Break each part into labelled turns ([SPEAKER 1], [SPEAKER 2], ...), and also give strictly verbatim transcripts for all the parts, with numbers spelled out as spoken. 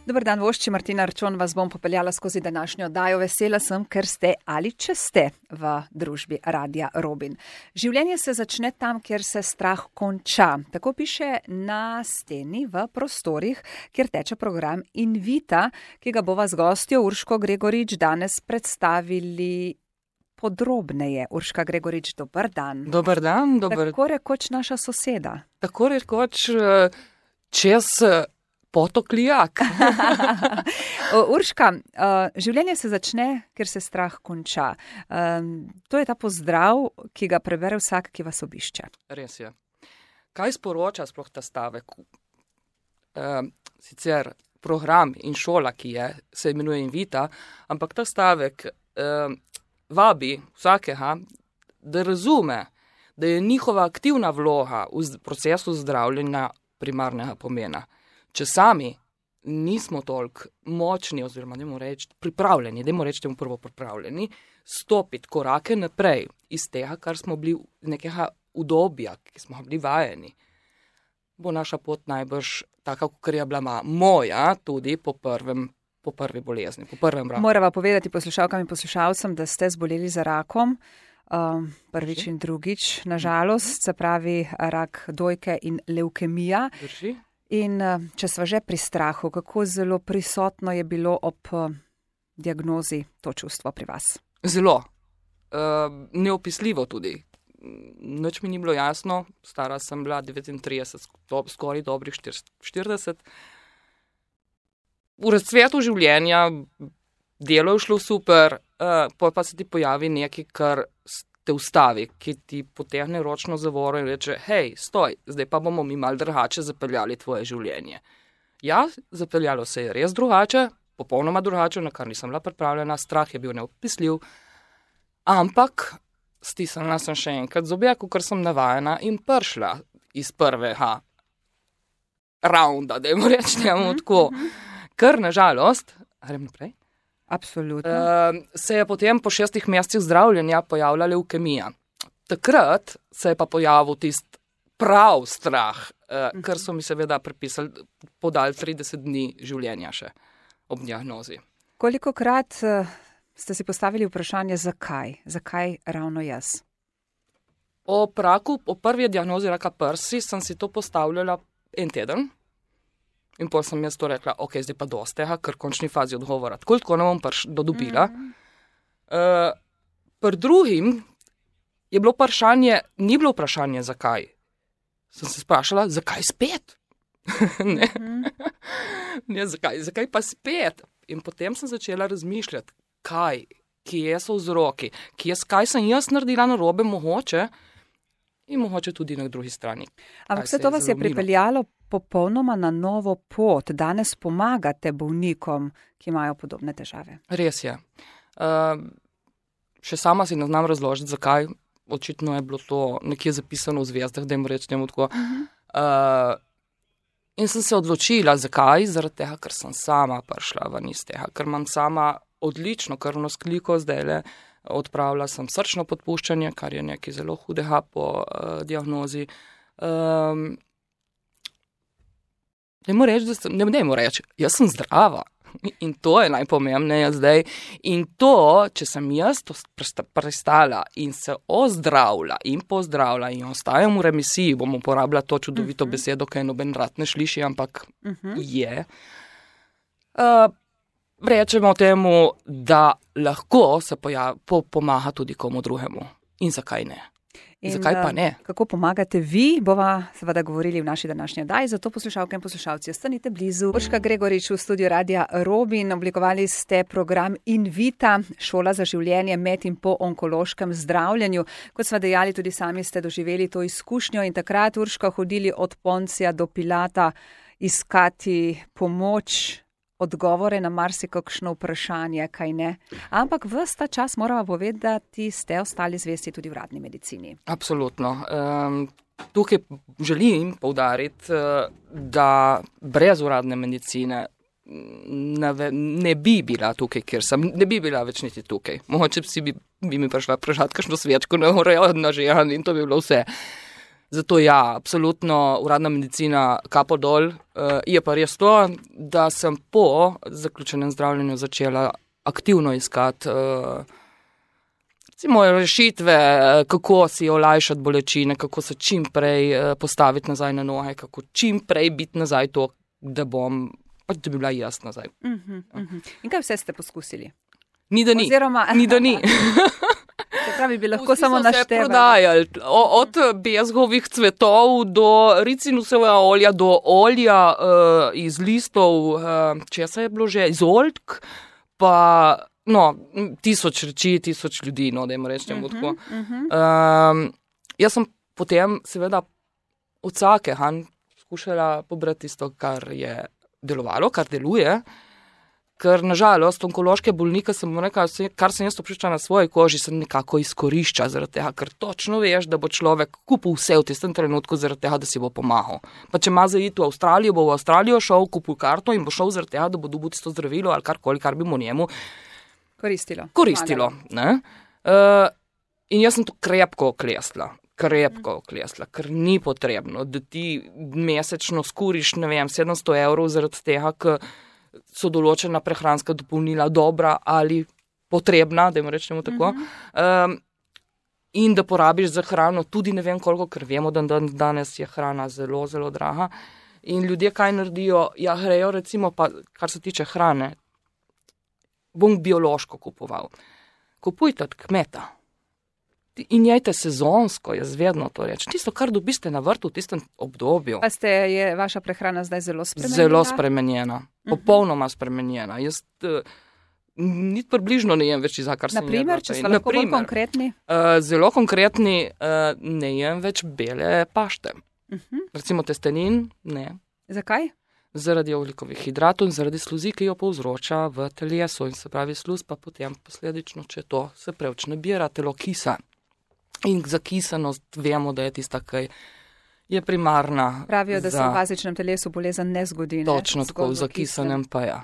[SPEAKER 1] Dober dan, vošči, Martina Arčon, vas bom popeljala skozi današnjo oddajo. Vesela sem, ker ste ali če ste v družbi Radia Robin. Življenje se začne tam, kjer se strah konča. Tako piše na steni v prostorih, kjer teče program Invita, ki ga bova z gostjo Urško Gregorič danes predstavili podrobneje. Urška Gregorič, dober dan.
[SPEAKER 2] Dober dan, dober.
[SPEAKER 1] Tako rekoč naša soseda.
[SPEAKER 2] Tako rekoč čez potok Lijak.
[SPEAKER 1] Urška, življenje se začne, ker se strah konča. To je ta pozdrav, ki ga prebere vsak, ki vas obišče.
[SPEAKER 2] Res je. Kaj sporoča sploh ta stavek? Sicer program in šola, ki je, se imenuje Invita, ampak ta stavek vabi vsakega, da razume, da je njihova aktivna vloga v procesu zdravljenja primarnega pomena. Če sami nismo toliko močni oziroma dajmo reči pripravljeni, dajmo reči temu prvo pripravljeni, stopiti korake naprej iz tega, kar smo bili nekega udobja, ki smo bili vajeni, bo naša pot najbrž taka, kot je bila moja, tudi po prvem po prvi bolezni, po prvem raku.
[SPEAKER 1] Morava povedati poslušalkam in poslušalcem, da ste zboleli za rakom, um, prvič in drugič, nažalost, se pravi rak dojke in levkemija.
[SPEAKER 2] Drži.
[SPEAKER 1] In če sva že pri strahu, kako zelo prisotno je bilo ob diagnozi to čustvo pri vas?
[SPEAKER 2] Zelo. Uh, neopisljivo tudi. Nič mi ni bilo jasno, stara sem bila devetintrideset, skoraj dobrih štirideset. V razcvetu življenja, delo je šlo super, uh, pa se ti pojavi nekaj, kar te ustavi, ki ti potegne ročno zavoro in reče, hej, stoj, zdaj pa bomo mi malo drugače zapeljali tvoje življenje. Ja, zapeljalo se je res drugače, popolnoma drugače, na kar nisem bila pripravljena, strah je bil neopisljiv, ampak stisnila sem še enkrat zobe, kakor sem navajena in prišla iz prvega raunda, dajmo reči temu tako. Ker nažalost, grem naprej,
[SPEAKER 1] Absolutno.
[SPEAKER 2] Uh, se je potem po šestih mesecih zdravljenja pojavila levkemija. Takrat se je pa pojavil tist prav strah, uh, uh-huh. ker so mi seveda pripisali, podali trideset dni življenja še ob diagnozi.
[SPEAKER 1] Kolikokrat uh, ste si postavili vprašanje, zakaj? Zakaj ravno jaz?
[SPEAKER 2] O raku, o prvi diagnozi raka prsi sem si to postavljala en teden. In potem sem jaz to rekla, ok, zdaj pa dosti tega, ker v končni fazi odgovora. Tako tako ne bom prš dodobila. Mm. Uh, pri drugim je bilo vprašanje, ni bilo vprašanje, zakaj. Sem se sprašala, zakaj spet? ne, mm. ne, zakaj, zakaj pa spet? In potem sem začela razmišljati, kaj, kje so vzroki, kje, kaj sem jaz naredila narobe mogoče in mogoče tudi na drugi strani.
[SPEAKER 1] Ampak vse to vas je pripeljalo popolnoma na novo pot. Danes pomagate bolnikom, ki imajo podobne težave.
[SPEAKER 2] Res je. Uh, še sama si ne znam razložiti, zakaj. Očitno je bilo to nekje zapisano v zvezdah, da jim rečem tako. Uh-huh. Uh, in sem se odločila, zakaj? Zaradi tega, ker sem sama prišla ven iz tega, ker imam sama odlično krvno skliko zdajle, odpravila sem srčno podpuščanje, kar je nekaj zelo hudega po uh, diagnozi. Um, Dajmo reči, da sem, ne dajmo reči, jaz sem zdrava in to je najpomembneje zdaj. In to, če sem jaz to prestala in se ozdravila in pozdravila in ostajam v remisiji, bom uporabila to čudovito uh-huh. besedo, ki je noben rad ne sliši, ampak uh-huh. je. Uh, rečemo temu, da lahko se pojav, po, pomaga tudi komu drugemu. In zakaj ne? In zakaj pa ne?
[SPEAKER 1] Kako pomagate vi, bova seveda govorili v naši današnji oddaji, zato poslušalke in poslušalci ostanite blizu. Urška Gregorič v studiu Radia Robin, oblikovali ste program Invita, šola za življenje med in po onkološkem zdravljenju. Kot smo dejali, tudi sami ste doživeli to izkušnjo in takrat, Urška, hodili od Poncija do Pilata iskati pomoč, odgovore na marsikakšno vprašanje, kaj ne. Ampak ves ta čas moramo povedati, ste ostali zvesti tudi vradni medicini.
[SPEAKER 2] Absolutno. Um, tukaj želim poudariti, da brez uradne medicine ne, ne bi bila tukaj, kjer sem, ne bi bila več niti tukaj. Mogoče si bi, bi mi prišla prežati kakšno svečko na urejo na žehan in to bi bilo vse. Zato ja, absolutno uradna medicina kapo dol. Uh, je pa res to, da sem po zaključenem zdravljenju začela aktivno iskati uh, recimo rešitve, kako si olajšati bolečine, kako se čim prej uh, postaviti nazaj na noge, kako čim prej biti nazaj to, da bom, pač da bi bila jaz nazaj.
[SPEAKER 1] Uh-huh, uh-huh. In kaj vse ste poskusili?
[SPEAKER 2] Ni da ni.
[SPEAKER 1] Oziroma,
[SPEAKER 2] ni da ni.
[SPEAKER 1] Se pravi, bi lahko
[SPEAKER 2] Vsi
[SPEAKER 1] samo
[SPEAKER 2] so se
[SPEAKER 1] naštevali.
[SPEAKER 2] prodajali, o, od bezgovih cvetov do ricinusovega olja, do olja uh, iz listov, uh, česa je bilo že, iz oljk, pa no, tisoč reči, tisoč ljudi, no, dajmo rečem uh-huh, tako. Uh-huh. Um, jaz sem potem seveda od vsake han skušala pobrati tisto, kar je delovalo, kar deluje. Ker nažalost onkološke bolnike sem rekla, kar sem jaz občutila na svoji koži, se nekako izkorišča zaradi tega, ker točno veš, da bo človek kupil vse v tistem trenutku zaradi tega, da si bo pomagal. Pa če ima za iti v Avstralijo, bo v Avstralijo šel, kupil karto in bo šel zaradi tega, da bo dobil tisto zdravilo ali karkoli, kar bi mu njemu
[SPEAKER 1] koristilo.
[SPEAKER 2] koristilo ne? Uh, in jaz sem to krepko oklestila. krepko oklesla, ker ni potrebno, da ti mesečno skuriš, ne vem, sedemsto evrov zaradi tega, ker so določena prehranska dopolnila dobra ali potrebna, da jim rečemo tako, um, in da porabiš za hrano tudi ne vem koliko, ker vemo, da dan, danes je hrana zelo, zelo draga. In ljudje kaj naredijo? Ja, grejo recimo, pa kar se tiče hrane, bom biološko kupoval. Kupujte od kmeta. In jajte sezonsko, jaz vedno to rečem. Tisto, kar dobiste na vrtu v tistem obdobju.
[SPEAKER 1] Pa ste, je vaša prehrana zdaj zelo spremenjena?
[SPEAKER 2] Zelo spremenjena. Popolnoma spremenjena. Jaz uh, ni približno ne jem več za kar sem jedla.
[SPEAKER 1] Naprimer, če smo lahko bolj konkretni?
[SPEAKER 2] Uh, zelo konkretni, uh, ne jem več bele pašte. Uh-huh. Recimo testenin, ne.
[SPEAKER 1] Zakaj?
[SPEAKER 2] Zaradi ogljikovih hidratov in zaradi sluzi, ki jo povzroča v telesu. In se pravi sluz, pa potem posledično, če to se preveč nabira, telo kisa. In za kisanost vemo, da je tista, ki je primarna.
[SPEAKER 1] Pravijo, da
[SPEAKER 2] za...
[SPEAKER 1] se v bazičnem telesu bolezen ne zgodi. Ne?
[SPEAKER 2] Točno tako, v zakisanem pa ja.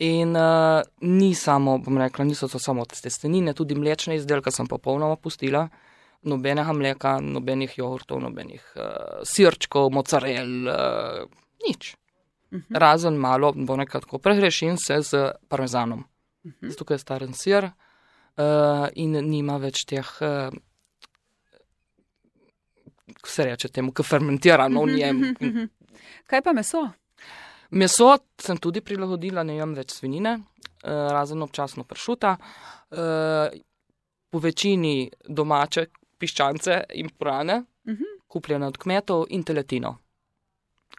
[SPEAKER 2] In uh, ni samo, bom rekla, niso to samo testenine, tudi mlečne izdelke sem popolnoma pustila. Nobenega mleka, nobenih jogurtov, nobenih uh, sirčkov, mocarel, uh, nič. Uh-huh. Razen malo, bom rekla tako, prehrešim se z parmezanom. Uh-huh. Zato, ker je staren sir uh, in nima več teh... Uh, ko se reče temu, ki fermentira v njem.
[SPEAKER 1] Kaj pa meso?
[SPEAKER 2] Meso sem tudi prilagodila, ne jem več svinjine, razen občasno pršuta. Po večini domače piščance in prane, kupljene od kmetov in teletino.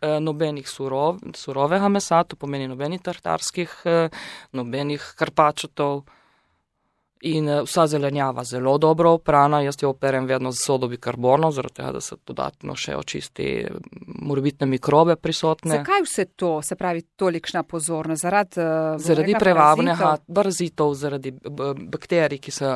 [SPEAKER 2] Nobenih surov, surovega mesa, to pomeni nobenih tartarskih, nobenih karpačotov. In vsa zelenjava zelo dobro oprana, jaz jo operem vedno z sodo bikarbono, zaradi tega, da se dodatno še očisti morebitne mikrobe prisotne.
[SPEAKER 1] Zakaj vse to, se pravi, tolikšna pozornost? Zaradi,
[SPEAKER 2] zaradi prevavnega parazitov, zaradi bakterij, ki se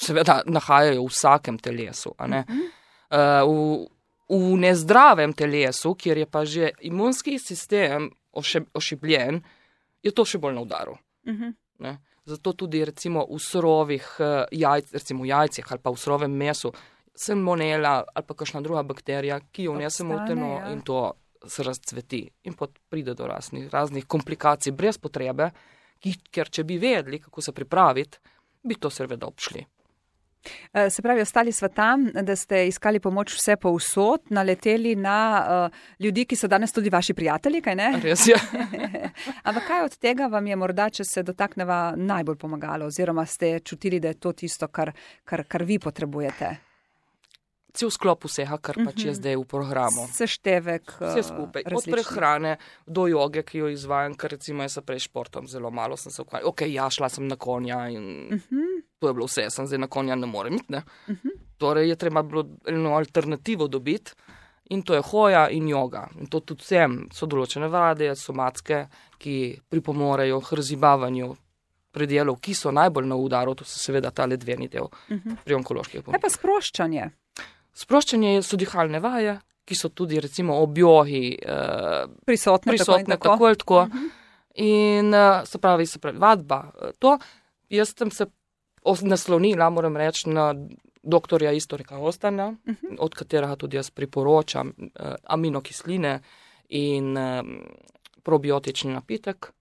[SPEAKER 2] seveda nahajajo v vsakem telesu. A ne? Uh-huh. v, v nezdravem telesu, kjer je pa že imunski sistem ošib, ošibljen, je to še bolj na udaru. Uh-huh. Ne? Zato tudi recimo v surovih jajc, recimo v jajcih ali pa v surovem mesu, salmonela ali pa kakšna druga bakterija, ki jo vnesemo v telo ja. In to se razcveti. In pot pride do raznih, raznih komplikacij brez potrebe, ki, ker če bi vedeli, kako se pripraviti, bi to seveda obšli.
[SPEAKER 1] Se pravi, ostali sva tam, da ste iskali pomoč vse povsod, naleteli na uh, ljudi, ki so danes tudi vaši prijatelji, kaj ne?
[SPEAKER 2] Res je.
[SPEAKER 1] Ampak kaj od tega vam je morda, če se dotakneva, najbolj pomagalo, oziroma ste čutili, da je to tisto, kar, kar, kar vi potrebujete?
[SPEAKER 2] Cel sklop vsega, kar pač je zdaj v programu.
[SPEAKER 1] Seštevek
[SPEAKER 2] vse skupaj. Od prehrane do joge, ki jo izvajam, ker recimo jaz se prej športom zelo malo sem se ukvarjala. Ok, ja, šla sem na konja in uh-huh. to je bilo vse, sem zdaj na konja ne morem iti, ne. Uh-huh. Torej je treba bilo eno alternativo dobiti in to je hoja in joga. In to tudi vsem so določene vade, somatske, ki pripomorejo k razibavanju predelov, ki so najbolj na udaru, to so seveda tale dveni del uh-huh. pri onkoloških bolnikih.
[SPEAKER 1] Kaj pa sproščanje?
[SPEAKER 2] Sproščanje so dihalne vaje, ki so tudi recimo ob jogi eh,
[SPEAKER 1] prisotne,
[SPEAKER 2] prisotne tako, tako ali tako. Uh-huh. In uh, se pravi, se pravi, vadba. To, jaz sem se naslonila, moram reči, na doktorja Istorika Ostana, uh-huh. od katerega tudi jaz priporočam uh, aminokisline in uh, probiotični napitek.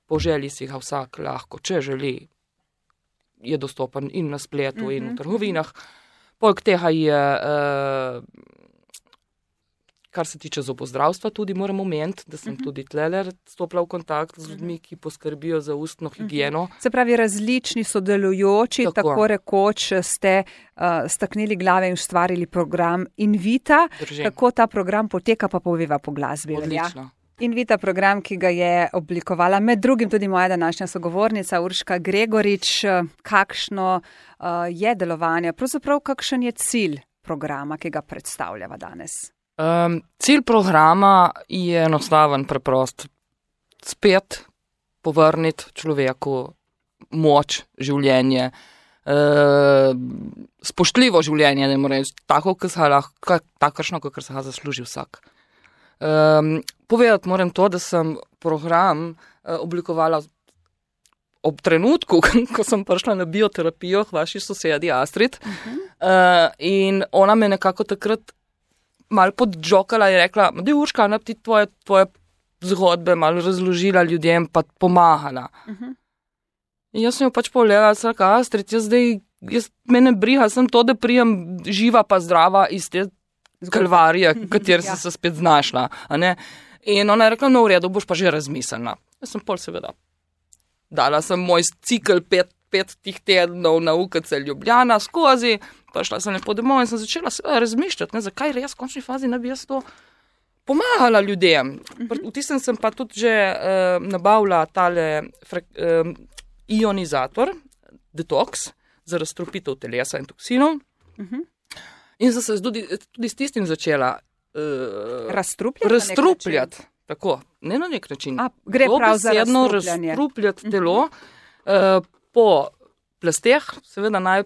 [SPEAKER 2] Po želji si ga vsak lahko, če želi, je dostopen in na spletu uh-huh. in v trgovinah. Poleg tega je, uh, kar se tiče zobozdravstva, tudi moram omeniti, da sem uh-huh. tudi tlele stopila v kontakt z ljudmi, ki poskrbijo za ustno higieno.
[SPEAKER 1] Uh-huh. Se pravi, različni sodelujoči, tako, tako rekoč ste uh, staknili glave in ustvarili program Invita. Drži. Kako ta program poteka, pa poveva po glasbi.
[SPEAKER 2] Odlično.
[SPEAKER 1] Ja? Invita program, ki ga je oblikovala med drugim tudi moja današnja sogovornica Urška Gregorič. Kakšno uh, je delovanje, pravzaprav kakšen je cilj programa, ki ga predstavljava danes?
[SPEAKER 2] Um, cilj programa je enostaven, preprost. Spet povrniti človeku moč, življenje, uh, spoštljivo življenje, ne more reči, tako, takršno, kakor se ga zasluži vsak. Um, povedati moram to, da sem program uh, oblikovala ob trenutku, ko sem prišla na bioterapijo k vaši sosedi Astrid uh-huh. uh, in ona me nekako takrat malo podžokala in rekla, da je Urška, ne bi ti tvoje, tvoje zgodbe malo razložila ljudem, pa pomagala. Uh-huh. In jaz sem jo pač pogledala, da je Astrid, jaz zdaj, jaz mene briga, sem to, da prijem živa pa zdrava iz te kalvarije, v kateri ja. sem se spet znašla. A ne? In ona je rekla, no v redu, boš pa že razmislila. Jaz sem pol seveda. Dala sem moj cikl pet, pet tih tednov na U K C Ljubljana skozi, pa šla sem lepo domov in sem začela seveda razmišljati, ne, zakaj res v končni fazi ne bi jaz to pomagala ljudem. V tistem sem pa tudi že uh, nabavila tale frek, uh, ionizator, detoks, za razstropitev telesa in toksinov. Uh-huh. In sem se tudi, tudi s tistim začela uh,
[SPEAKER 1] razstrupljati.
[SPEAKER 2] razstrupljati. Tako, ne na nek način.
[SPEAKER 1] A, gre prav za razstrupljanje.
[SPEAKER 2] Razstrupljati telo uh, po plasteh, seveda naj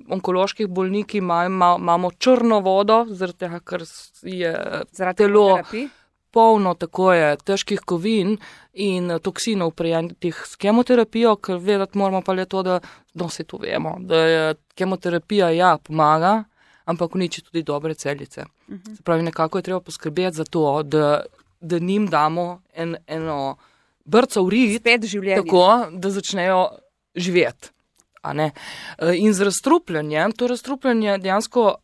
[SPEAKER 2] onkoloških bolniki imamo, imamo črno vodo, zaradi tega, ker je zaradi telo terapij. Polno tako je težkih kovin in toksinov prejetih s kemoterapijo, ker vedeti moramo pa le to, da no, se to vemo, da je kemoterapija ja pomaga, ampak uniči tudi dobre celice. Uh-huh. Se pravi, nekako je treba poskrbeti za to, da, da njim damo en, eno brco v rit, tako, da začnejo živeti. A ne? In z razstrupljanjem, to razstrupljanje dejansko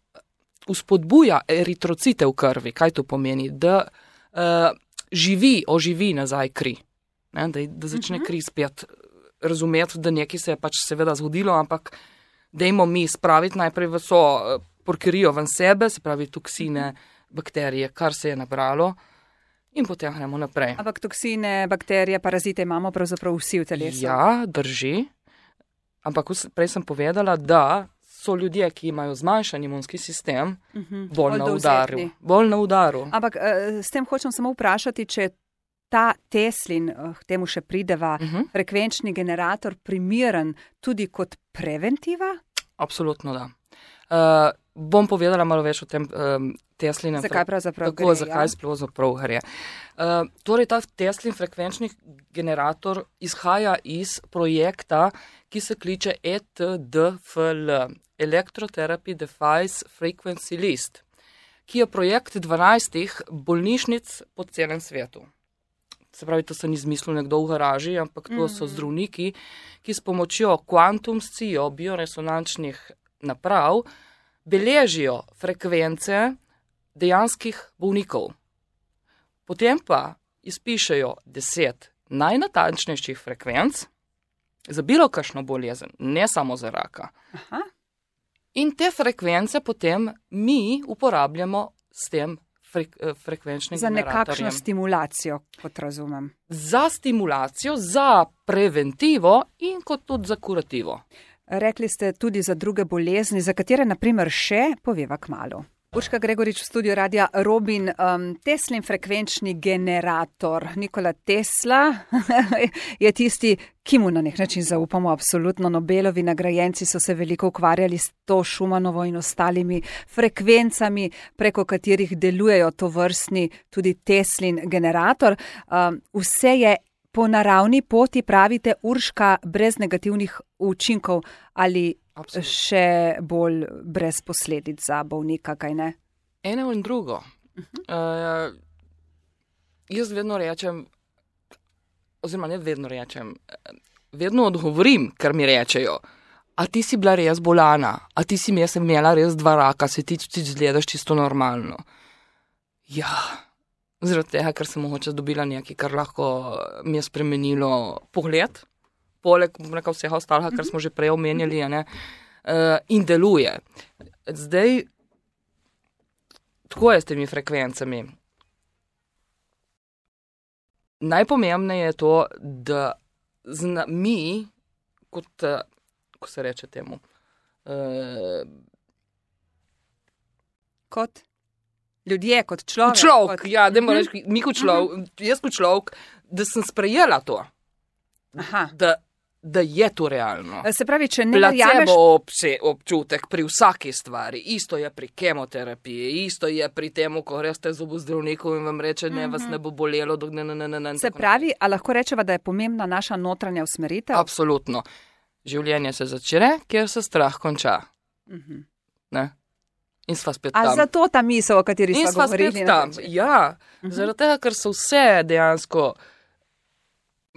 [SPEAKER 2] uspodbuja eritrocite v krvi. Kaj to pomeni? Da uh, živi, oživi nazaj kri. Ne? Da, da začne kri spet razumeti, da nekaj se je pač seveda zgodilo, ampak dajmo mi spraviti najprej v so porkerijo ven sebe, se pravi toksine, bakterije, kar se je nabralo, in potem gremo naprej.
[SPEAKER 1] Ampak toksine, bakterije, parazite imamo pravzaprav vsi v telesu.
[SPEAKER 2] Ja, drži. Ampak prej sem povedala, da so ljudje, ki imajo zmanjšan imunski sistem, uh-huh. bolj, bolj na udaru. Bolj na udaru.
[SPEAKER 1] Ampak s tem hočem samo vprašati, če ta Teslin, temu še prideva, uh-huh. frekvenčni generator primeren tudi kot preventiva?
[SPEAKER 2] Absolutno da. Uh, bom povedala malo več o tem um, Teslinem.
[SPEAKER 1] Zakaj pravzaprav
[SPEAKER 2] tako,
[SPEAKER 1] gre?
[SPEAKER 2] Zakaj sploh gre. Uh, torej, ta Teslin frekvenčni generator izhaja iz projekta, ki se kliče E T D F L, Electrotherapy Device Frequency List, ki je projekt dvanajstih bolnišnic po celem svetu. Se pravi, to se ni izmislil nekdo v garaži, ampak to so zdravniki, ki s pomočjo kvantumscijo bioresonančnih naprav beležijo frekvence dejanskih bolnikov. Potem pa izpišejo deset najnatančnejših frekvenc za bilo kakšno bolezen, ne samo za raka. Aha. In te frekvence potem mi uporabljamo s tem frek, frekvenčnim
[SPEAKER 1] za
[SPEAKER 2] generatorjem.
[SPEAKER 1] Za nekakšno stimulacijo, kot razumem.
[SPEAKER 2] Za stimulacijo, za preventivo in kot tudi za kurativo.
[SPEAKER 1] Rekli ste tudi za druge bolezni, za katere naprimer še poveva kmalu. Urška Gregorič v studiu Radia Robin, um, Teslin frekvenčni generator. Nikola Tesla je tisti, ki mu na nek način zaupamo, absolutno. Nobelovi nagrajenci so se veliko ukvarjali s to Schumanovo in ostalimi frekvencami, preko katerih delujejo to vrstni tudi Teslin generator. Um, vse je po naravni poti, pravite, Urška, brez negativnih učinkov, ali
[SPEAKER 2] Absolutno.
[SPEAKER 1] še bolj brez posledic za bolnika, kaj ne?
[SPEAKER 2] Eno in drugo. Uh-huh. Uh, jaz vedno rečem, oziroma ne vedno rečem, vedno odgovorim, kar mi rečejo. A ti si bila res bolana, a ti si jaz imela res dva raka, se ti tudi zgledaš čisto normalno. Ja, zaradi tega, ker sem mogoče dobila nekaj, kar lahko mi je spremenilo pogled, poleg nekaj vsega ostalega, kar smo že prej omenjali, ne, uh, in deluje. Zdaj, tako je s temi frekvencami. Najpomembneje je to, da zna, mi, kot, ko se reče temu, uh,
[SPEAKER 1] kot ljudje, kot človek.
[SPEAKER 2] Človek,
[SPEAKER 1] kot...
[SPEAKER 2] ja, dajmo uh-huh. reči, mi kot človek, uh-huh. jaz kot človek, da sem sprejela to.
[SPEAKER 1] Aha.
[SPEAKER 2] Da, da je to realno.
[SPEAKER 1] Se pravi, če ne
[SPEAKER 2] verjameš...
[SPEAKER 1] verjameš...
[SPEAKER 2] Placebo občutek pri vsaki stvari. Isto je pri kemoterapiji, isto je pri temu, ko greste z zobozdravnikom in vam reče, ne, uh-huh. vas ne bo bolelo. Dok ne, ne, ne, ne,
[SPEAKER 1] Se pravi, a lahko rečeva, da je pomembna naša notranja usmeritev?
[SPEAKER 2] Absolutno. Življenje se začne, kjer se strah konča.
[SPEAKER 1] Uh-huh.
[SPEAKER 2] Ne? In sva spet
[SPEAKER 1] A
[SPEAKER 2] tam.
[SPEAKER 1] A zato ta misel, o kateri
[SPEAKER 2] sva
[SPEAKER 1] sva govorili?
[SPEAKER 2] In sva spet tam, ja. Uh-huh. Zaradi tega, ker so vse dejansko,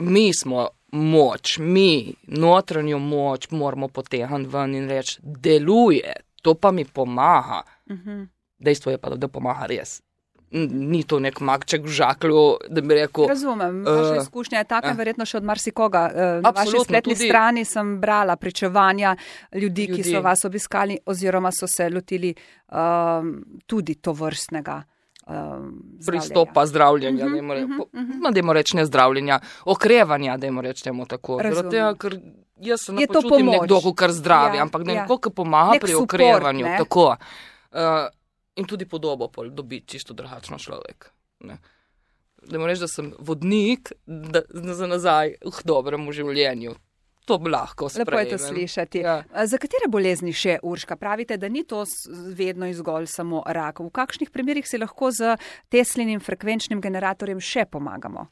[SPEAKER 2] mi smo moč, mi notranjo moč moramo potegniti ven in reči, deluje, to pa mi pomaga. Uh-huh. Dejstvo je pa, da pomaga res. Ni to nek magček v žaklju, da bi rekel...
[SPEAKER 1] Razumem, vaša uh, izkušnja je taka, uh, verjetno še od marsikoga. Uh, na vaši spletni
[SPEAKER 2] tudi...
[SPEAKER 1] strani sem brala pričevanja ljudi, ljudi, ki so vas obiskali oziroma so se lotili um, tudi to vrstnega um,
[SPEAKER 2] pristopa zdravljenja.
[SPEAKER 1] Uh-huh,
[SPEAKER 2] dajmo, re,
[SPEAKER 1] uh-huh,
[SPEAKER 2] po,
[SPEAKER 1] uh-huh.
[SPEAKER 2] no, dajmo reči ne zdravljenja, okrevanja, dajmo reči temu tako. Tega, ker jaz se ne počutim nekdo, kar zdravi, ja, ampak nekdo, ja. ki pomaga nek pri support, okrevanju. Ne? Tako. Uh, In tudi podobo pol dobi čisto drugačno človek. Ne. Da moram reči, da sem vodnik da, za nazaj v dobremu življenju. To bi lahko sprejemem.
[SPEAKER 1] Lepo je to slišati. Ja. Za katere bolezni še, Urška? Pravite, da ni to vedno izgolj samo rak. V kakšnih primerih se lahko z Teslinim frekvenčnim generatorjem še pomagamo?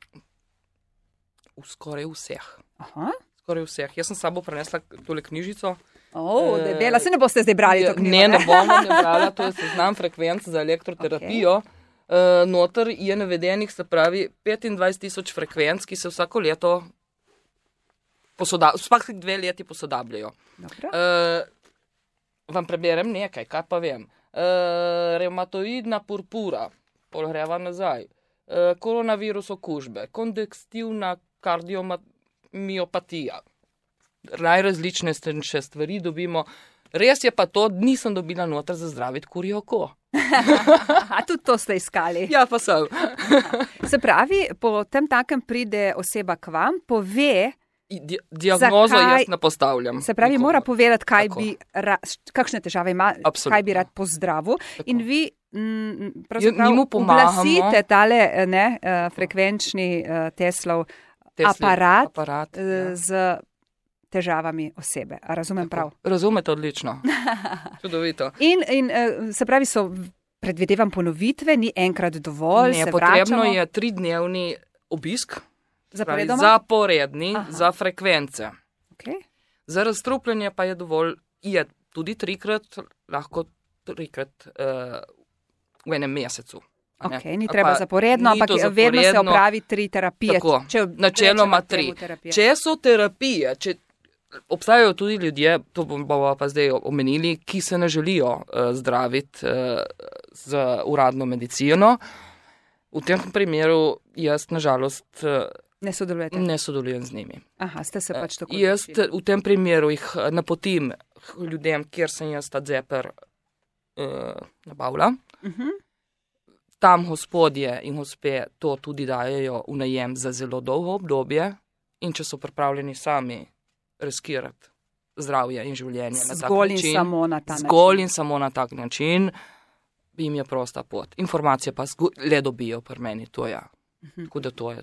[SPEAKER 2] V skoraj vseh.
[SPEAKER 1] Aha.
[SPEAKER 2] Skoraj vseh. Jaz sem s sabo prenesla tole knjižico.
[SPEAKER 1] Oh, debela, se ne boste zdaj brali to knjigo?
[SPEAKER 2] Ne, ne bomo ne brala, to je seznam frekvenc za elektroterapijo. Okay. Uh, noter je navedenih, se pravi, petindvajset tisoč frekvenc, ki se vsako leto posodabljajo, vsake dve leti posodabljajo. Uh, vam preberem nekaj, kaj pa vem. Uh, reumatoidna purpura, pol greva nazaj. Uh, koronavirus okužbe, kongestivna kardiomiopatija. Najrazličnejše stvari dobimo. Res je pa to, nisem dobila noter za zdraviti kurjo oko.
[SPEAKER 1] A tudi to ste iskali?
[SPEAKER 2] Ja, pa sem.
[SPEAKER 1] Se pravi, po tem takem pride oseba k vam, pove...
[SPEAKER 2] Di- diagnozo zakaj, jaz ne postavljam.
[SPEAKER 1] Se pravi,
[SPEAKER 2] nikomu.
[SPEAKER 1] Mora povedati, kaj
[SPEAKER 2] Tako.
[SPEAKER 1] bi, ra, kakšne težave ima,
[SPEAKER 2] Absolutno.
[SPEAKER 1] Kaj bi rad pozdravil.
[SPEAKER 2] Tako.
[SPEAKER 1] In vi m, pravzaprav
[SPEAKER 2] mu pomagamo.
[SPEAKER 1] uglasite tale ne, uh, frekvenčni uh, Teslov
[SPEAKER 2] Tesli,
[SPEAKER 1] aparat,
[SPEAKER 2] aparat
[SPEAKER 1] uh,
[SPEAKER 2] ja.
[SPEAKER 1] z težavami osebe. A razumem
[SPEAKER 2] Tako.
[SPEAKER 1] prav?
[SPEAKER 2] Razumete odlično. Čudovito.
[SPEAKER 1] In, in uh, se pravi, so predvidevam ponovitve, ni enkrat dovolj,
[SPEAKER 2] ne,
[SPEAKER 1] se
[SPEAKER 2] potrebno
[SPEAKER 1] vračamo.
[SPEAKER 2] je tridnevni obisk.
[SPEAKER 1] Zaporedoma?
[SPEAKER 2] Zaporedni
[SPEAKER 1] Aha.
[SPEAKER 2] za frekvence.
[SPEAKER 1] Okay.
[SPEAKER 2] Za razstrupljanje pa je dovolj, je tudi trikrat, lahko trikrat uh, v enem mesecu.
[SPEAKER 1] Ok, ni treba zaporedno, ampak
[SPEAKER 2] zaporedno,
[SPEAKER 1] vedno se opravi tri terapije.
[SPEAKER 2] Tako,
[SPEAKER 1] če,
[SPEAKER 2] načeloma tri. Če so terapije, če obstajajo tudi ljudje, to bomo pa zdaj omenili, ki se ne želijo uh, zdraviti uh, z uradno medicino, v tem primeru jaz nažalost uh,
[SPEAKER 1] ne sodelujete?
[SPEAKER 2] Ne sodelujem z njimi.
[SPEAKER 1] Aha, ste se pač tako.
[SPEAKER 2] Jaz v tem primeru jih napotim ljudem, kjer sem jaz ta zeper uh, nabavila. Uh-huh. Tam gospodje in gospe to tudi dajejo v najem za zelo dolgo obdobje in če so pripravljeni sami riskirati zdravje in življenje na tak
[SPEAKER 1] zgolj
[SPEAKER 2] način.
[SPEAKER 1] In samo na ta način.
[SPEAKER 2] Zgolj in samo na tak način jim je prosta pot. Informacije pa le dobijo pri meni, to ja. Uh-huh. Tako da to je.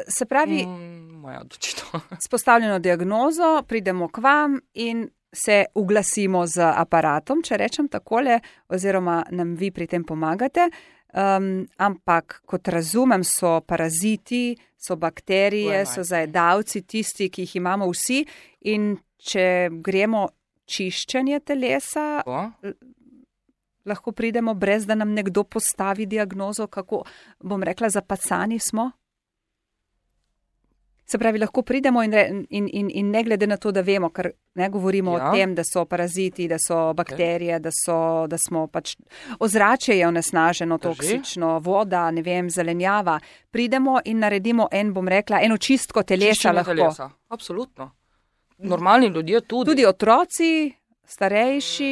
[SPEAKER 1] Se pravi,
[SPEAKER 2] mm, moja odločitev.
[SPEAKER 1] S postavljeno diagnozo pridemo k vam in se uglasimo z aparatom, če rečem takole, oziroma nam vi pri tem pomagate. Um, ampak, kot razumem, so paraziti, so bakterije, so zajedavci, tisti, ki jih imamo vsi. In če gremo čiščenje telesa.
[SPEAKER 2] O?
[SPEAKER 1] Lahko pridemo, brez da nam nekdo postavi diagnozo, kako, bom rekla, zapacani smo. Se pravi, lahko pridemo in, in, in, in ne glede na to, da vemo, ker ne govorimo ja. o tem, da so paraziti, da so bakterije, okay. da, so, da smo pač ozračje je onesnaženo, toksično, voda, ne vem, zelenjava. Pridemo in naredimo en, bom rekla, eno čistko telesa.
[SPEAKER 2] Čiščenje
[SPEAKER 1] lahko.
[SPEAKER 2] Telesa, absolutno. Normalni ljudje tudi.
[SPEAKER 1] Tudi otroci, starejši,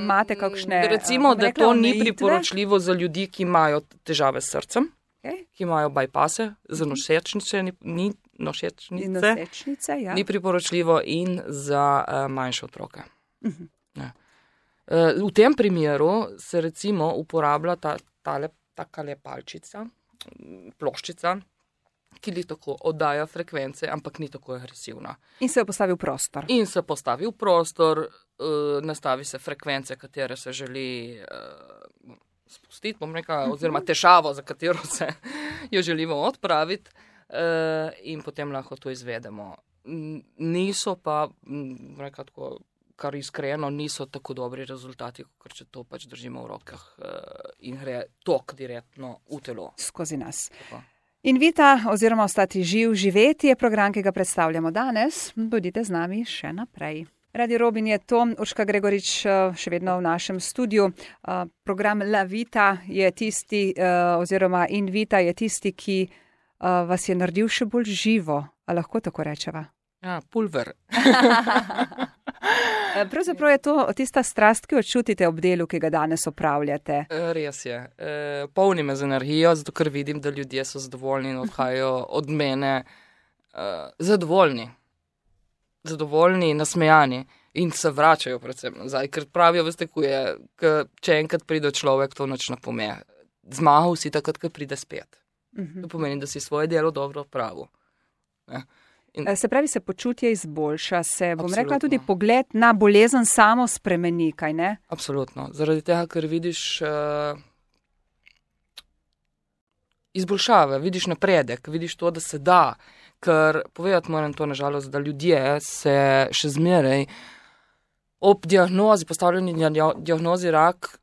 [SPEAKER 1] imate kakšne
[SPEAKER 2] Recimo,
[SPEAKER 1] rekla,
[SPEAKER 2] da to ni
[SPEAKER 1] omejitve?
[SPEAKER 2] priporočljivo za ljudi, ki imajo težave s srcem.
[SPEAKER 1] Okay.
[SPEAKER 2] Ki imajo bypase, za nosečnice, ni, ni nosečnice,
[SPEAKER 1] nosečnice ja.
[SPEAKER 2] ni priporočljivo in za uh, manjše otroke.
[SPEAKER 1] Uh -huh.
[SPEAKER 2] uh, v tem primeru se recimo uporablja ta tale, takale palčica, ploščica, ki li tako oddaja frekvence, ampak ni tako agresivna.
[SPEAKER 1] In se jo postavi v prostor.
[SPEAKER 2] In se postavi v prostor, uh, nastavi se frekvence, katere se želi uh, spustiti, bom rekla, oziroma težavo, za katero se jo želimo odpraviti uh, in potem lahko to izvedemo. Niso pa, bom rekla tako, kar iskreno, niso tako dobri rezultati, ker če to pač držimo v rokah uh, in gre tok direktno v telo.
[SPEAKER 1] Skozi nas.
[SPEAKER 2] Tako.
[SPEAKER 1] Invita oziroma Ostati živ, živeti je program, ki ga predstavljamo danes. Bodite z nami še naprej. Radio Robin je to, Urška Gregorič še vedno v našem studiu. Program La Vita je tisti, oziroma Invita je tisti, ki vas je naredil še bolj živo. A lahko tako rečeva?
[SPEAKER 2] Ja, pulver.
[SPEAKER 1] Pravzaprav je to tista strast, ki jo čutite ob delu, ki ga danes opravljate.
[SPEAKER 2] Res je. E, polni me z energijo, zato ker vidim, da ljudje so zadovoljni in odhajajo od mene uh, zadovoljni. Zadovoljni, nasmejani in se vračajo predvsem nazaj, ker pravijo, veste, ko je, k, če enkrat pride človek, to nič ne pomeni. Zmagal si takrat, ko pride spet. Uh-huh. To pomeni, da si svoje delo dobro opravil. Ja. In
[SPEAKER 1] se pravi, se počutje izboljša, se, bom
[SPEAKER 2] absolutno.
[SPEAKER 1] rekla, tudi pogled na bolezen samo spremeni, kaj ne?
[SPEAKER 2] Absolutno. Zaradi tega, ker vidiš uh, izboljšave, vidiš napredek, vidiš to, da se da, ker povedati moram to nažalost, da ljudje se še zmeraj ob diagnozi, postavljeni diagnozi rak,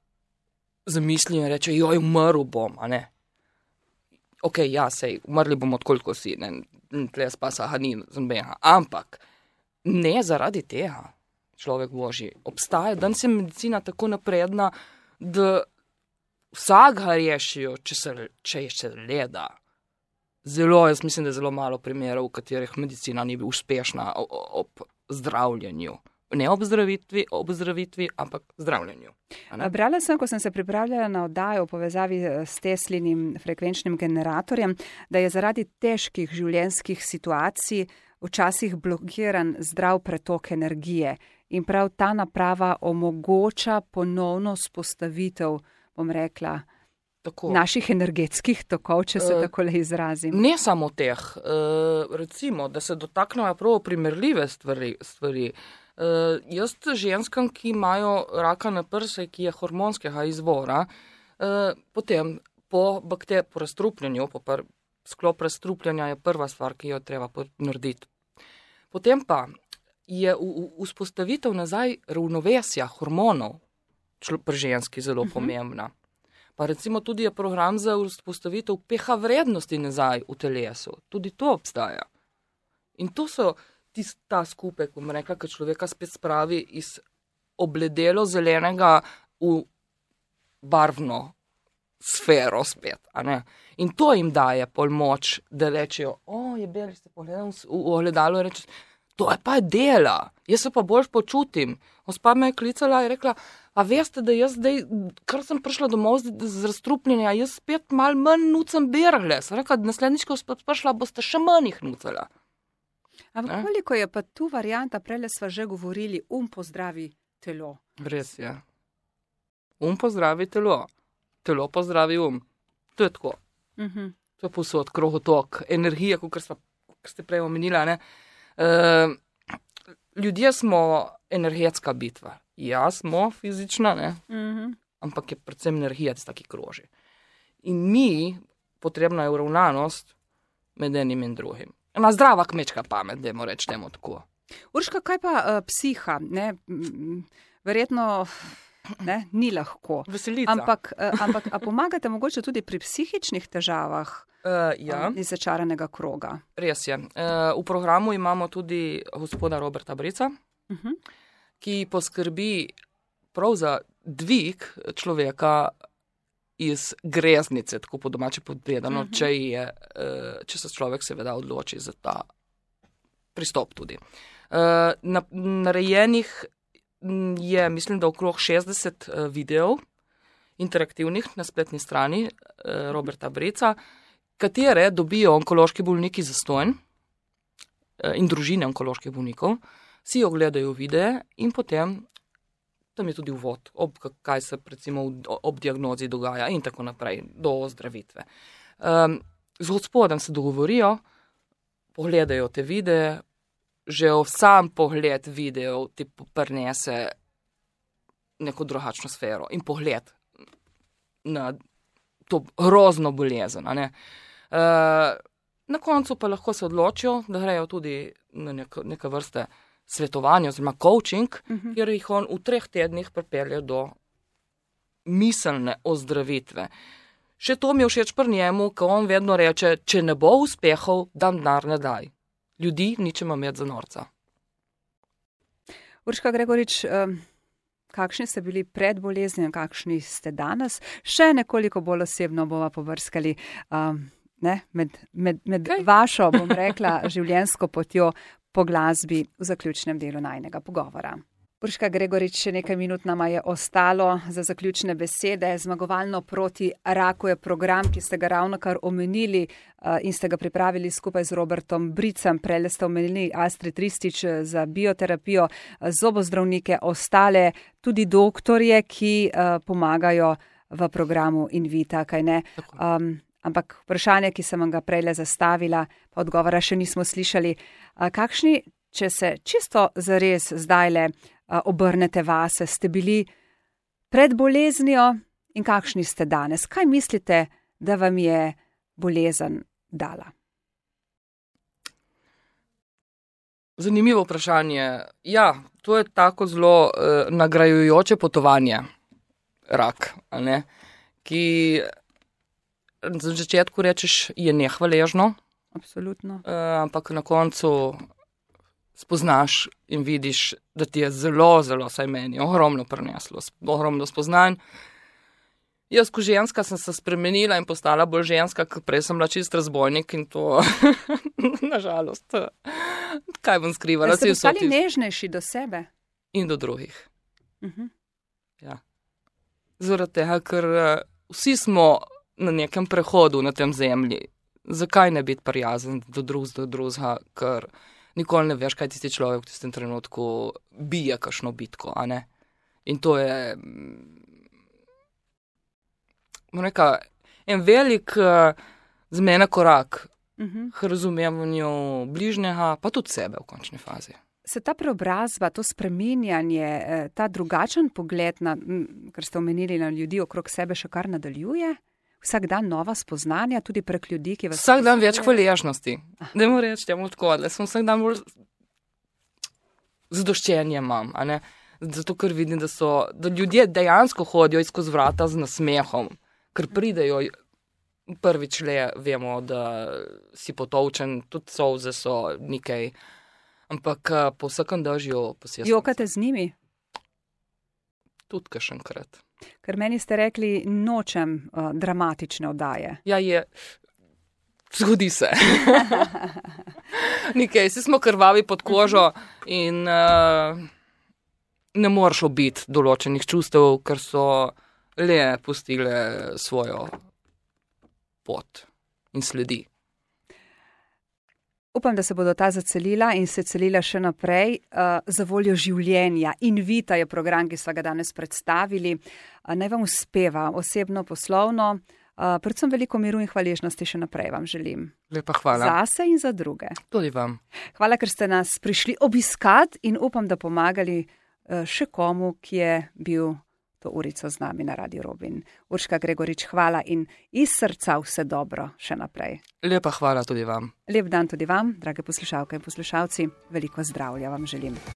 [SPEAKER 2] zamislijo in reče, joj, umrl bom, a ne? Ok, ja, sej, umrli bomo odkoliko si, ne, tle spasa, ha, ni zombeha. Ampak ne zaradi tega, človek božji. Obstaja, danes je medicina tako napredna, da vsak ga rešijo, če se, če se leda. Zelo, jaz mislim, da je zelo malo primerov, v katerih medicina ni bila uspešna ob zdravljenju. Ne ob zdravitvi, ob zdravitvi, ampak zdravljenju.
[SPEAKER 1] Brala sem, ko sem se pripravljala na oddajo v povezavi s Teslinim frekvenčnim generatorjem, da je zaradi težkih življenjskih situacij včasih blokiran zdrav pretok energije in prav ta naprava omogoča ponovno spostavitev, bom rekla, tako. Naših energetskih tokov, če se uh, tako le izrazim.
[SPEAKER 2] Ne samo teh. Uh, recimo, da se dotaknejo prav primerljive stvari. stvari. Uh, jaz ženskam, ki imajo raka na prse, ki je hormonskega izvora, uh, potem po, bakter, po razstrupljanju, po pr, sklop razstrupljanja je prva stvar, ki jo treba narediti. Potem pa je vzpostavitev nazaj ravnovesja hormonov pri ženski zelo uh-huh. pomembna. Pa recimo tudi je program za vzpostavitev pH vrednosti nazaj v telesu. Tudi to obstaja. In to so ta skupek, bom rekla, ki človeka spet spravi iz obledelo zelenega v barvno sfero spet. A ne? In to jim daje pol moč, da rečejo, o, je beli, ste pogledali v ogledalo in reče, to je pa dela, jaz se pa bolj počutim. Gospa me je klicala in rekla, a veste, da jaz zdaj, kar sem prišla domov z, z razstrupljenja, jaz spet mal manj nucam bergle. Sem rekla, naslednjič, ko spet prišla, boste še manj jih nucala.
[SPEAKER 1] Ampak koliko je pa tu varianta, prele sva že govorili, um pozdravi telo.
[SPEAKER 2] Res je. Um pozdravi telo. Telo pozdravi um. To je tako. Uh-huh. To je posod, krohotok, energija, kot ste prej omenila. Ne? Uh, ljudje smo energetska bitva. Ja, smo fizična, ne? Uh-huh. Ampak je predvsem energija, tista, ki kroži. In mi, potrebna je uravnanost med enim in drugim. Ena zdrava kmečka pamet, dajmo reči temu tako.
[SPEAKER 1] Urška, kaj pa uh, psiha? Ne? Verjetno ne, ni lahko.
[SPEAKER 2] Veselica.
[SPEAKER 1] Ampak, uh, ampak a pomagate mogoče tudi pri psihičnih težavah
[SPEAKER 2] uh, ja.
[SPEAKER 1] uh, iz začaranega kroga?
[SPEAKER 2] Res je. Uh, v programu imamo tudi gospoda Roberta Brica, uh-huh. ki poskrbi prav za dvig človeka iz greznice, tako po domače povedano, uh-huh. če, je, uh, če se človek seveda odloči za ta pristop tudi. Uh, na, narejenih je, mislim, da okrog šestdeset uh, videov interaktivnih na spletni strani uh, Roberta Brica, katere dobijo onkološki bolniki zastonj uh, in družine onkoloških bolnikov, si ogledajo videe in potem tam je tudi uvod, ob, kaj se recimo ob diagnozi dogaja in tako naprej, do ozdravitve. Um, z gospodom se dogovorijo, pogledajo te videe, že v sam pogled videov ti prinese neko drugačno sfero in pogled na to grozno bolezen. A ne? Uh, na koncu pa lahko se odločijo, da grejo tudi na nek, neke vrste svetovanja oziroma coaching, uh-huh. kjer jih on v treh tednih pripelje do miselne ozdravitve. Še to mi je všeč pri njemu, ko on vedno reče, če ne bo uspehov, dam denar ne daj. Ljudi ničemo imeti za norca.
[SPEAKER 1] Urška Gregorič, kakšni ste bili pred boleznijo, kakšni ste danes? Še nekoliko bolj osebno bova pobrskali um, ne, med, med, med okay. vašo, bom rekla, življenjsko potjo po glasbi v zaključnem delu najnega pogovora. Urška Gregorič, še nekaj minut nama je ostalo za zaključne besede. Zmagovalno proti raku je program, ki ste ga ravnokar omenili uh, in ste ga pripravili skupaj z Robertom Bricem. Prele ste omenili Astrid Ristič za bioterapijo, zobozdravnike, ostale, tudi doktorje, ki uh, pomagajo v programu Invita, kaj ne? Um, ampak vprašanje, ki sem vam ga prele zastavila, pa odgovora še nismo slišali. Uh, kakšni, če se čisto zares zdajle obrnete vase, ste bili pred boleznijo in kakšni ste danes? Kaj mislite, da vam je bolezen dala?
[SPEAKER 2] Zanimivo vprašanje. Ja, to je tako zelo eh, nagrajujoče potovanje, rak, a ne? Ki za začetku rečeš, je nehvaležno.
[SPEAKER 1] Absolutno.
[SPEAKER 2] Eh, ampak na koncu spoznaš in vidiš, da ti je zelo, zelo, saj meni, ogromno prineslo, ogromno spoznanj. Jaz, ko ženska, sem se spremenila in postala bolj ženska, ker prej sem bila čist razbojnik in to, nažalost, kaj bom skrivala.
[SPEAKER 1] Ste postali tis... nežnejši do sebe?
[SPEAKER 2] In do drugih.
[SPEAKER 1] Uh-huh.
[SPEAKER 2] Ja. Zaradi tega, ker vsi smo na nekem prehodu na tem zemlji. Zakaj ne biti prijazen do drug do drugega, ker nikoli ne veš, kaj tisti človek v tistem trenutku bije kakšno bitko, a ne? In to je neka, en velik uh, zmena korak uh-huh. k razumevanju bližnjega, pa tudi sebe v končni fazi.
[SPEAKER 1] Se ta preobrazba, to spreminjanje, ta drugačen pogled, na, kar ste omenili na ljudi okrog sebe, še kar nadaljuje? Vsak dan nova spoznanja, tudi prek ljudi, ki vas...
[SPEAKER 2] Vsak dan več hvaležnosti. Dajmo reči, temu tako, da sem vsak dan bolj zadoščenje imam, a ne? Zato, ker vidim, da so, da ljudje dejansko hodijo skozi vrata z nasmehom, ker pridejo prvič le, vemo, da si potolčen, tudi solze so nekaj, ampak po vsakem dažju posebej.
[SPEAKER 1] Jokate z njimi?
[SPEAKER 2] Tudi kakšenkrat.
[SPEAKER 1] Ker meni ste rekli, nočem uh, dramatične oddaje.
[SPEAKER 2] Ja, je. Zgodi se. Nekaj, si smo krvavi pod kožo in uh, ne moreš obiti določenih čustev, ker so le pustile svojo pot in sledi.
[SPEAKER 1] Upam, da se bodo ta zacelila in se celila še naprej uh, za voljo življenja. Invita je program, ki smo ga danes predstavili. Uh, naj vam uspeva osebno, poslovno, uh, predvsem veliko miru in hvaležnosti še naprej vam želim.
[SPEAKER 2] Lepa hvala.
[SPEAKER 1] Zase in za druge.
[SPEAKER 2] Tudi vam.
[SPEAKER 1] Hvala, ker ste nas prišli obiskat in upam, da pomagali uh, še komu, ki je bil to urico z nami na Radio Robin. Urška Gregorič, hvala in iz srca vse dobro še naprej.
[SPEAKER 2] Lepa hvala tudi vam.
[SPEAKER 1] Lep dan tudi vam, drage poslušalke in poslušalci. Veliko zdravja vam želim.